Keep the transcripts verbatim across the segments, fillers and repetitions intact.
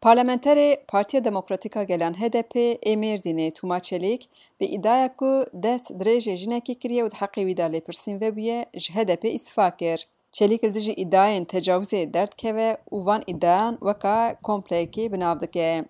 Parlamenterê Partiya Demokratîk a Gelan H D P ê Mêrdînê Tûma Çelîk bi îdiaya ku dest dirêjê jinekê kiriye û di heqê wî de lêpirsîn vebûye, ji H D P îstifa kir. Çelîk li dijî îdiayên tecawizê derdikeve û van îdiayan weka kompleyekê bi nav dike.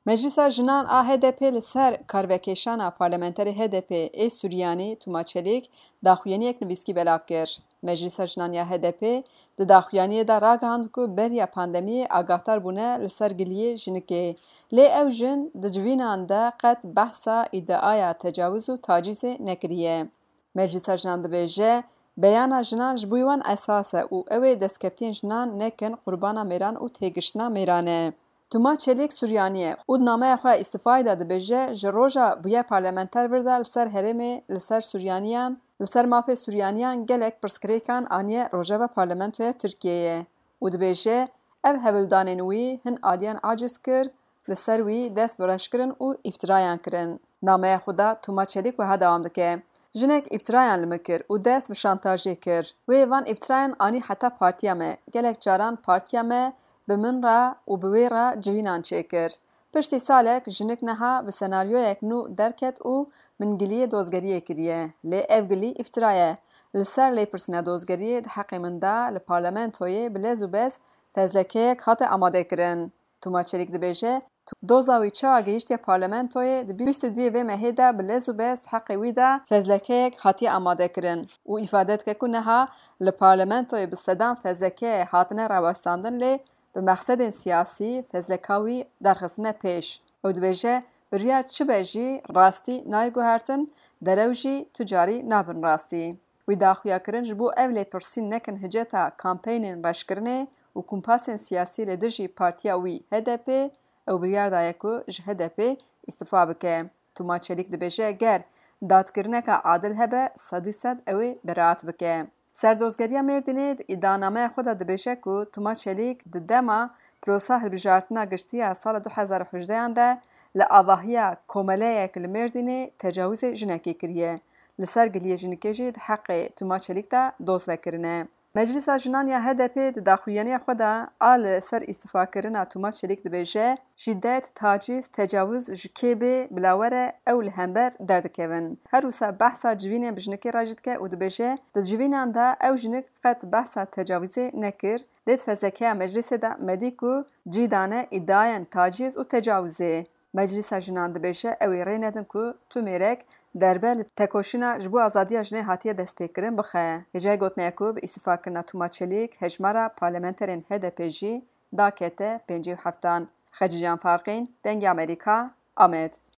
Meclisa Jinan a H D P li ser karvekêşana parlamenterê H D P ê Suryanî Tûma Çelîk daxuyaniyek nivîskî belav kir. Meclisa Jinan ya H D P di daxuyaniyê de ragihand ku beriya pandemiyê agahdar bûne li ser giliyê jinikê. Lê ew jin di civînan de qet behsa îdiaya tecawiz û tacîzê nekiriye. Meclisa Jinan dibêje, beyana jinan ji bo wan esas e û ew ê destkeftiyen jinan nekin qurbana mêran û têgiştina mêran e. Tûma Çelîk Suryanî ye û di nameya xwe îstîfayê de dibêje, ji roja bûye parlamenter vir de li ser herêmê, li ser Suryaniyan, li ser mafê Suryaniyan gelek pirsgirêkan aniye rojeva parlamentoya Tirkiyeyê û dibêje, ev hewldanên wî hin aliyan aciz kir, li ser wî dest bi reş kirin û îftirayan kirin. Nameya xwe de Tûma Çelîk wiha dewam dike, jinek îftirayan li min kir û dest bi şantajê kir. Wê van îftirayan anî heta partiya me. Gelek caran partiya me bi min re û bi wê re civînan çêkir. Piştî salek jinik niha bi senaryoyek nû derket û min giliyê dozgeriyê kiriye. Lê ev gilî îftira ye. Li ser lêpirsîna dozgeriyê di heqê min de li parlamentoyê bi lez û bez fezlekeyek hate amadekirin. Tûma Çelîk dibêje, doza wî çawa gihîştiye parlamentoyê, di bîst û duyê vê mehê de bi lez û bez di heqê wî de fezlekeyek hatiye amadekirin û îfade dike ku niha li parlamentoyê bi sedan fezlekeyê hatine rawestandin, lê bi mexsedên siyasî fezleka wî derxistine pêş. Ew dibêje, biryar çi be jî rastî nayê guhertin, derew jî tu carî nabin rastî. Wî daxuya kirin ji bo ev lêpirsîn nekin hiceta kampeynên reşkirinê û kumpasên siyasî li dijî partiya wî H D P, ew biryar daye ku ji H D P îstifa bike. Tûma Çelîk dibêje, ger dadkirineke adil hebe, sedî sed ew ê beraat bike. Serdozgeriya Mêrdînê di îdianameya xwe de dibêje ku Tûma Çelîk di dema prosa hilbijartina giştî ya sala du hezar û hejdeyan de li avahiya komeleyek li Mêrdînê tecawizê jinekê kiriye. Li ser giliyê jinikê jî di heqê Tûma Çelîk de doz vekirine. Meclisa Jinan ya H D P di daxuyaniya xwe de a li ser îstifakirina Tûma Çelîk dibêje, şîdet, taciz, tecawiz ji kê bê bila were ew li hember derdikevin. Her wisa behsa civînên bi jinikê re jî dike û dibêje, di civînan de ew jinik qet behsa tecawizê nekir, lê di fezlekeya meclisê de me dî ku cî dane îdiayên taciz û tecawizê. Meclisa Jinan dibêje, ew ê rê nedin ku tu mêrek derbe li tekoşîna ji bo azadiya jinê hatiye destpêkirin bixe. Hêjayî gotinê ye ku bi îstifakirina Tûma Çelîk hejmara parlamenterên H D P jî dakete pêncî û heftan. Xecîcan Farqîn, Dengê Amerîka, Amed.